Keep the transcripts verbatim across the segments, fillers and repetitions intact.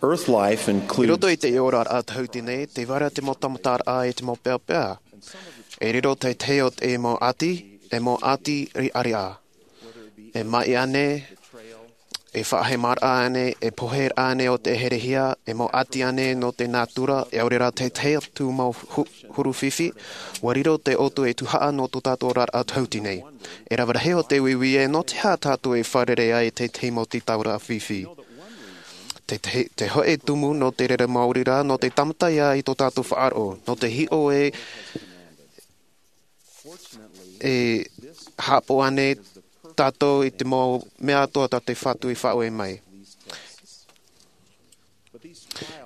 Earth life includes I roto i te oraraʻa tahuti nei, tē vai ra te mau tamataraʻa e te mau peapea. E riro te tahi o te mau ʻati, e mau ʻati riʻariʻa. E maʻi ānei, e faʻahemaraʻa ānei, e poheraʻa ānei o te herehia, e mau ʻati ānei nō te nātura, e ʻaore rā te tahi atu mau hu-, huru fifi, ʻua riro te ʻoutou e tuhaʻa nō tō tātou oraraʻa tahuti nei. E rave rahi o te uiui ē, nō te aha tātou e fārerei ai te tahi mau tītauraʻa fifi. Te, te, te hōʻē tumu nō te reira maori rā, nō te tāmata ia i tō tātou faʻaroʻo, nō te hiʻo ē, e haʻapaʻo ānei tātou i te mau mea atoʻa tā te Fatu i faʻaue mai.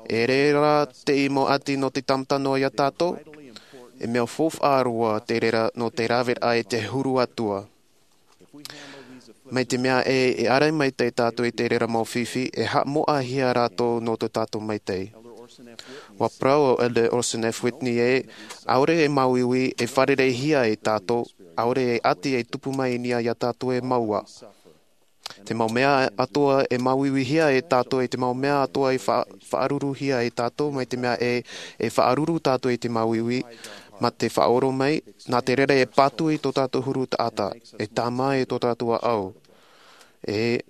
E reira te mau ʻati nō te tāmata noa ia tātou, e mea faufaʻa roa te reira nō te raveraʻa i te huru atu. Mai te mea ē, e ʻārai maitaʻi tātou i te reira mau fifi, e haʻamoʻahia rātou nō tō tātou maitaʻi. ʻUa parau ʻo Elder Orson F. Whitney ē, ʻaore e māuiui, e fārereihia e tātou, ʻaore e ʻati e tupu mai i niʻa ia tātou e mau ā. Te mau mea atoʻa e māuiuihia e tātou, e te mau mea atoʻa e fa-, faʻaruruhia e tātou, mai te mea ē, e faʻaruru tātou i te māuiui, mā te faʻaora mai, nā te reira e patu i tō tātou huru taʻata, e tāmā i tō tātou ʻāʻau. E,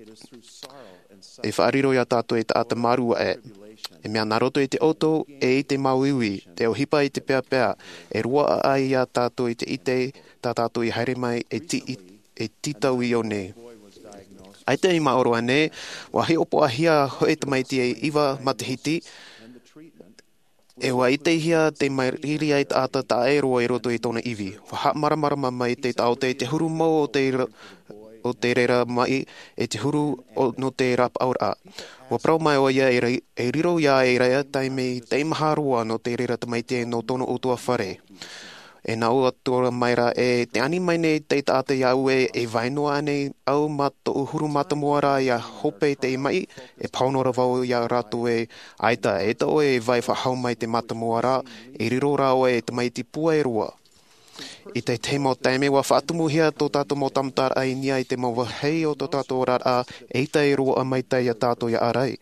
e faʻariro ia tātou e taʻata mārū aʻe. E mea nā roto i te ʻoutou, e i te māuiui, te ʻohipa i te peapea, e roaʻa ai ia tātou i te ʻite, tā tātou i haere mai, e ti-, e tītau i ʻō nei. ʻAita i maoro ānei, ʻua hiʻopoʻahia hōʻē tamaiti e iva matahiti, e ʻua ʻitehia te mairiri ai taʻata taʻa ʻē roa i roto i tōna ivi. ʻUa haʻamāramarama mai te taʻoto i te huru mau o te ra-, o te reira maʻi, e te huru o, nō te rapaʻauraʻa. ʻUa parau mai ʻoia e ri-, e riro ia e reira taime teimaha roa nō te reira tamaiti nō tōna ʻutuāfare. E nā ʻō atu ra mai ra ē, tē ani mai nei te taʻata iāʻu ē, e vai noa ānei au mā tōʻu huru mātāmua ra ʻia hope i te maʻi, e pāhono ra vau ia rātou ē, ʻaita, eʻita ʻoe e vai faʻahou mai te mātāmua ra, e riro rā ʻoe e tamaiti pūai roa. I te tahi mau taime ʻua faʻatumuhia tō tātou mau tamataraʻa i niʻa i te mau vāhi o tō tātou oraraʻa, eʻita e roaʻa maitaʻi ia tātou ʻia ʻārai.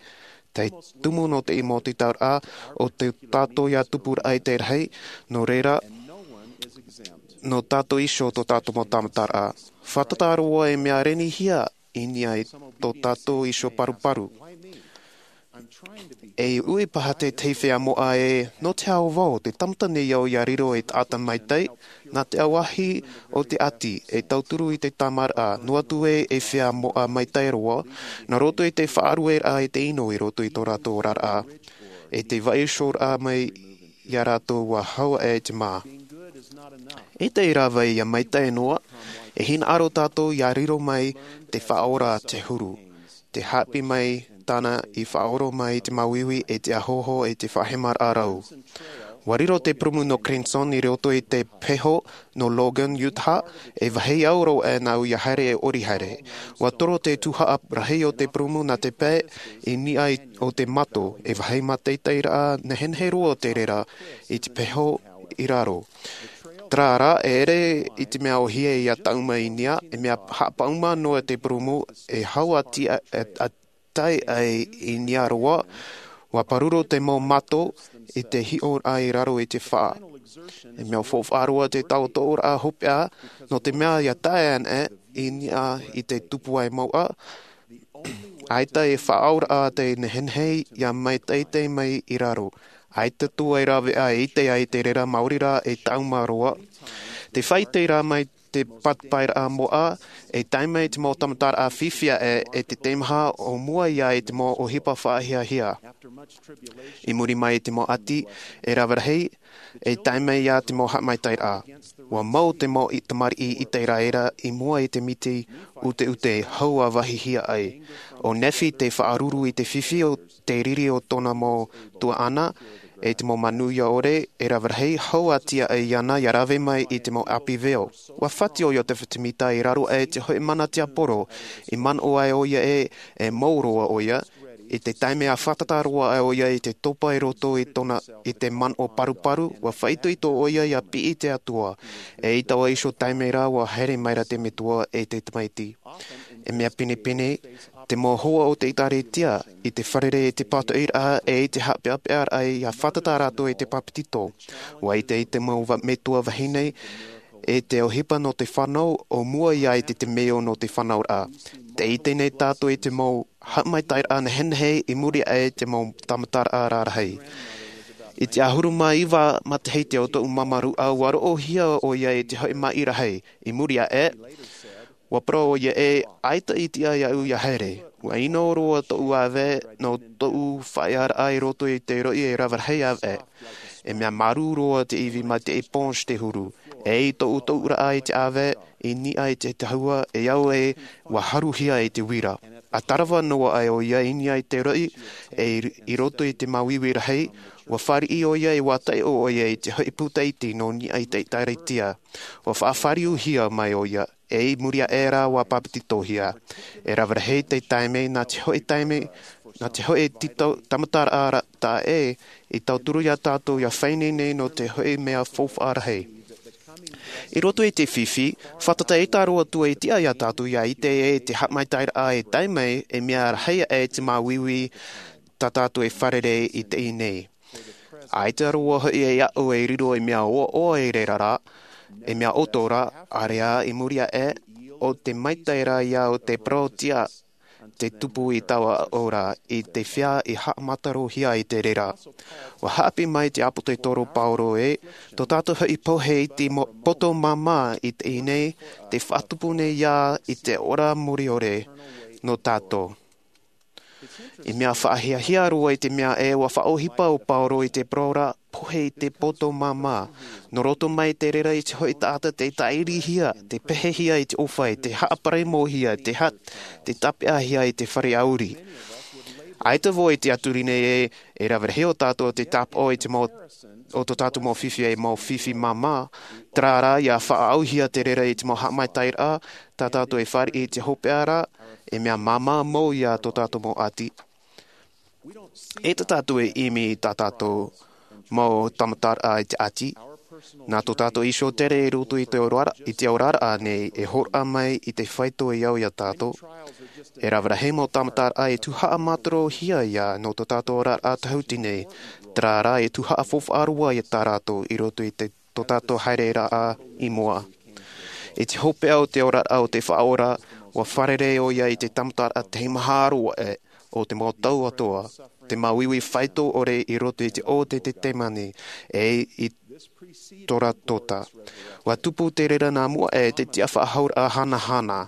Te tumu nō te mau tītauraʻa o tō tātou ïa tupuraʻa i te rahi, nō reira, nō tātou iho tō tātou mau tamataraʻa. Fātata roa e mea renihia i niʻa i tō tātou iho paruparu. E ui paha te tahi feiā moʻa ē, nō te aha vau, te tāmata nei au ʻia riro ei taʻata maitaʻi, nā te ʻauahi o te ʻati, e tauturu i te tāmāraʻa, noa atu ē, ei feiā moʻa maitaʻi roa, nā roto i te faʻarueraʻa i te ʻino i roto i tō rātou oraraʻa, e te vaiihoraʻa mai ia rātou ʻua hau aʻe te mā. E te rave ïa maitaʻi noa, e hinaʻaro tātou ʻia riro mai te Faʻaora te huru, te haʻapiʻi mai tāna i faʻaora mai te māuiui e te ʻāhoho e te faʻahemaraʻa rau. ʻUa riro te purūmu nō Crenson i roto i te peho nō Logan, Utah, e vāhi au roa aʻe nāʻu ʻia haere e ʻori haere. ʻUa toro te tuhaʻa rahi o te purūmu nā te pae i niʻa i, o te mato, e vāhi mātaʻitaʻiraʻa nehenehe roa te reira i te peho i raro. Terā rā, e ʻere i te mea ʻōhie ʻia taʻuma i niʻa, e mea haʻapaʻuma noa te purūmu, e hau a tia, a, a tae ai i niʻa roa, ʻua pāruru te mau mato i te hiʻoraʻa i raro i te faʻa. E mea faufaʻa roa te taʻotoʻoraʻa hopeʻa, nō te mea ʻia tae anaʻe i niʻa i te tupu ai mauʻa, ʻaita e faʻaauraʻa te nehenehe ʻia maitaʻi mai i raro. ʻAita atu e rāveʻa e ʻite ai te reira maori rā e taʻuma roa. Te faʻaʻite rā mai te pāpaʻiraʻa moʻa, e tae mai te mau tamataraʻa fifi aʻe, e te teimaha o mua ïa i te mau ʻohipa faʻahiahia. I muri mai i te mau ʻati, e rave rahi, e tae mai ïa te mau haʻamaitaʻiraʻa. ʻUa mau te mau i-, tamariʻi ʻĪteraʻera i mua i te miti ʻuteʻute hau ʻa vāhihia ai. ʻO Nephi te faʻaruru i te fifi o te riri o tōna mau tuaʻana, e te mau manuia ʻore, e rave rahi, hau a tia ai iāna ʻia rave mai i te mau ʻāpī veo. ʻUa fati ʻoia te fetimita i raro aʻe i te hōʻē mana tiaporo, i manaʻo ai ʻoia ē, e mau roa ʻoia, i te taime ʻa fātata roa ai ʻoia i te topa i roto i tōna, i te manaʻo paruparu, ʻua faʻaitoito ʻoia ʻia piʻi i te Atua, eʻita ʻoe iho taime rā ʻua haere mai ra te Metua e te Tamaiti. E mea pinepine, te mau hoa o te ʻĒtārētia, i te fārerei i te pātoʻiraʻa ʻe i te haʻapeʻapeʻaraʻa ia fātata rātou i te bāpetizo. ʻUa ʻite i te mau va-, metua vahine, e te ʻohipa nō te fānau, ʻo mua ia i te, te temeio nō te fānauraʻa. Tē ʻite nei tātou i te mau haʻamaitaʻiraʻa nehenehe i muri aʻe i te mau tāmataraʻa rarahi. I te ʻahuru mā iva matahiti o tōʻu māmāruʻa, ʻua roʻohia ʻoia i te hoʻi maʻi rahi. I muri aʻe, ʻua parau ʻoia ē, ʻaita i tiʻa iāʻu ia haere. ʻUa ʻino roa tōʻu ʻāvae nō tōʻu faʻaearaʻa i roto i te roʻi e rave rahi ʻāvae. E mea marū roa te ivi mai te éponge te huru. E i tōʻu tōʻuraʻa i te ʻāvae, i niʻa i te tahua, e au ē, ʻua haruhia i te uira. ʻA tarava noa aʻe ʻoia i niʻa i te roʻi, e i, i roto i te māuiui rahi, ʻua fāriʻi ʻoia ʻe ʻua taiʻo ʻoia i te hoʻi puta iti nō niʻa i te ʻĒtārētia. ʻUa faʻafāriuhia mai ʻoia, e i muri aʻe rā ʻua bāpetizohia. E rave rahi te taime, nā te hoʻi taime, nā te hoʻi titau, tāmataraʻa ra-, taʻa ʻē, i tauturu ia tātou ia fānaʻo nei nō te hoʻi mea faufaʻa rahi. I roto i te fifi, fātata ʻē tā rātou e tiʻa ia tātou ia ʻite ē te haʻamaitaʻiraʻa e tae mai, e mea rahi aʻe te māuiui tā tātou e fārerei i teie nei. ʻAita roa hoʻi e aʻo e riro e mea ʻoaʻoa i reira rā, e mea ʻoto rā, ʻāreʻa i muri aʻe, ʻo te maitaʻi rā ia o te parau tiʻa, te tupu i taua ora, i te feiā i haʻamātarohia i te reira. ʻUa haʻapiʻi mai te ʻāpōsetolo Paulo ē, tō tātou hoʻi pohe i te mo-, poto māmā i teie nei, tē faʻatupu nei ia i te ora mure ʻore nō tātou. I mea faʻahiahia roa i te mea ē ʻua faʻaʻohipa ʻo Paulo i te parau ra, pohe i te poto māmā. Nō roto mai te reira i te hoʻi taʻata tē tāʻirihia, tē pehehia i te ʻōfaʻi, tē haʻaparemohia, tē ha-, tē tāpeʻahia i te fare ʻāuri. ʻAita vau i te tiʻaturi nei ē, e rave rahi o tātou tē tāpaʻo i te mau, o tō tātou mau fifi ei mau fifi māmā, terā rā ia faʻaʻauhia te reira i te mau haʻamaitaʻiraʻa, tā tātou e fāriʻi i te hopeʻa ra, e mea māmā mau ia tō tātou mau ʻati. E tā tātou e ʻimi i tā tātou mau tāmataraʻa i te ʻati. Nā tō tātou iho tere i roto i te orara-, i te oraraʻa nei e hōroʻa mai i te faito i au ia tātou. E rave rahi mau tāmataraʻa e tuhaʻa mātarohia ia nō tō tātou oraraʻa tahuti nei. Terā rā e tuhaʻa faufaʻa roa ia tā rātou i roto i te, tō tātou haereraʻa i mua. I te hopeʻa o te oraraʻa o te Faʻaora, ʻua fārerei ʻoia i te tāmataraʻa teimaha roa ē, o te mau tau atoʻa, te māuiui faito ʻore i roto i te ʻō o Ietesemani, e i Goregoreha. ʻUa tupu te reira nā mua e te tiʻafaʻahouraʻa hanahana.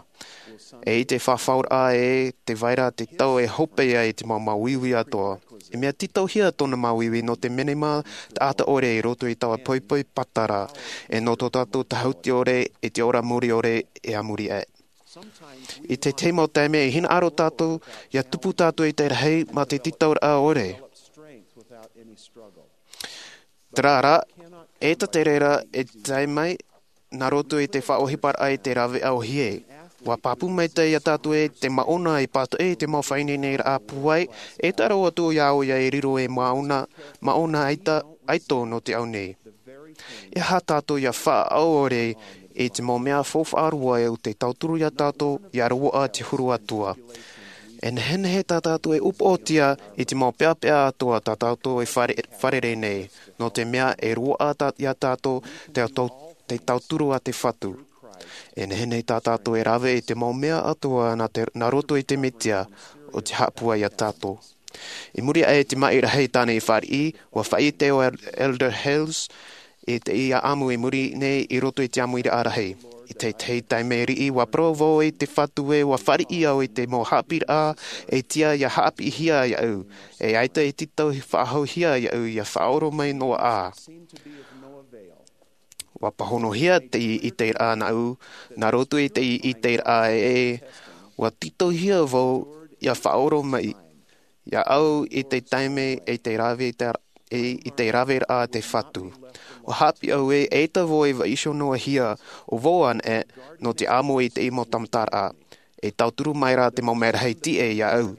E i te faʻahouraʻa e te vai ra te tau e hope ai te mau māuiui atoʻa. E mea tītauhia tōna māuiui nō te menema taʻata ʻore i roto i taua poipoi patara, e nō tō tātou tahuti ʻore, e te ora mure ʻore, e a muri aʻe. I te tahi mau taime e hinaʻaro tātou, ia tupu tātou i te rahi mā te tītauraʻa ʻore. Terā rā, e tā te reira e tae mai, nā roto i te faʻaʻohiparaʻa i te rāveʻa ʻōhie. ʻUa pāpū maitaʻi ia tātou e te māʻona i pātoʻi i te mau faʻaineineraʻa pūai, e taro atu ia ʻoia e riro e māʻona, māʻona ʻaita, ʻaito nō te ao nei. E aha tātou ia faʻaʻore i te mau mea faufaʻa roa o te tauturu ia tātou, ia roaʻa te huru atoʻa. E nehenehe tā tātou e upoʻotia i te mau peʻapeʻa atoʻa tā tātou e fāre-, fārerei nei, nō te mea e roaʻa tā, ia tātou te tau-, te tauturu a te Fatu. E nehenehe tā tātou e rave i te mau mea atoʻa nā te, nā roto i te Mesia, ʻo te Haʻapūai ia tātou. I muri aʻe i te maʻi rahi tāna i fāriʻi, ʻua faʻaʻite ʻo El-, Elder Hales i te ʻāʻamu i muri nei i roto i te ʻāmuiraʻa rahi. I te, te taime riʻi, ʻua parau vau i te Fatu ē ʻua fāriʻi au i te mau haʻapiʻiraʻa e tiʻa ia haʻapiʻihia iāʻu, e ʻaita e tītau faʻahouhia iāʻu ia faʻaoromaʻi noa ā. ʻUa pāhonohia te ʻiteraʻa nāʻu, nā roto i te ʻiteraʻa ē, ʻua tītauhia vau ia faʻaoromaʻi, ia au i te taime e te rave i te, e, i te raveraʻa a te Fatu. ʻUa haʻapiʻi au ē, ʻaita vau e vaiiho noa hia, ʻo vau anaʻe, nō te ʻāmui i te mau tāmataraʻa. E tauturu mai rā te mau merahi tiʻa iāʻu.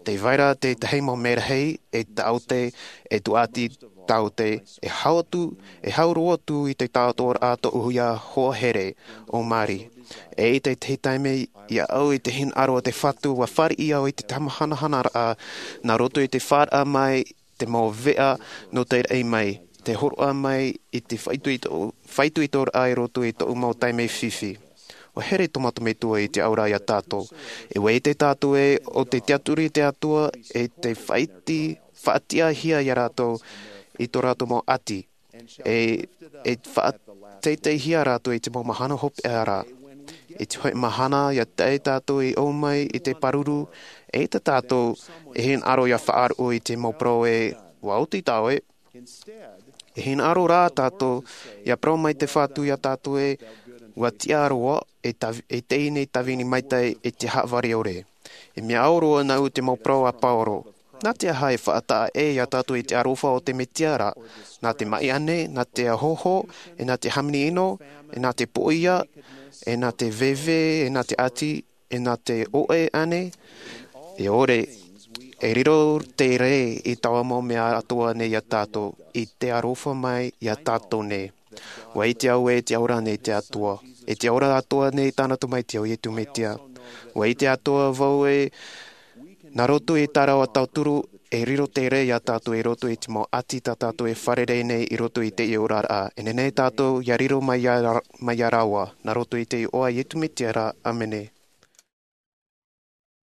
Te vaira te tahi mau merahi e taote, e tuati taote, e hau atu, e hau roa atu i te taotoraʻa toʻu ia hoa here o Mari. E i te tahi taime ia au i te hinaʻaro o te Fatu ua fāriʻi au i te tamahanahana raʻa nā roto i te faʻaraa mai te mau veʻa nō te raʻi mai, te horoʻa mai i te faʻaitoito, faʻaitoitoraʻa i roto i toʻu mau taime fifi. Ua here tō mātou Metua i te aura ia tātou. E ua ite tātou e o te tiaturi te Atua e te faʻaiti, faʻatiʻahia ia rātou i tō rātou mau ati. E, e faʻateiteihia rātou i te mau mahana hopeʻa ra. I te hoʻi mahana ia tae tātou i ʻō mai i te pāruru, e ite tātou e hinaʻaro ia faʻaroʻo i te mau parau e, ua oti tāua e. E hinaʻaro rā tātou ia parau mai te Fatu ia tātou e, ua tiʻa roa e tav-, e teie nei tāvini maitaʻi e te haʻavare ore. E mea au roa nāʻu te mau parau a Pauro. Nā te aha e faʻataʻa ʻē ia tātou i te aroha o te Mesia ra? Nā te maʻi ānei, nā te ahoho, e nā te hāmani ʻino, e nā te poʻia, e nā te veve, e nā te ati, e nā te ʻoʻe ānei? E ʻore, e riro te rē i taua mau mea atoʻa nei ia tātou, i te aroha mai ia tātou nei. Ua ite au e te aura nei te Atua, e te aura atoʻa nei tāna Tamaiti ʻo Iesu Mesia. Ua ite atoʻa vau e nā roto i tā rāua tauturu, e riro te rē ia tātou i roto i te mau ati tā tātou e fārerei nei i roto i teie oraraʻa. E nehenehe tātou ia riro mai ia, mai ia rāua, nā roto i te iʻoa a Iesu Mesia ra, ʻāmene.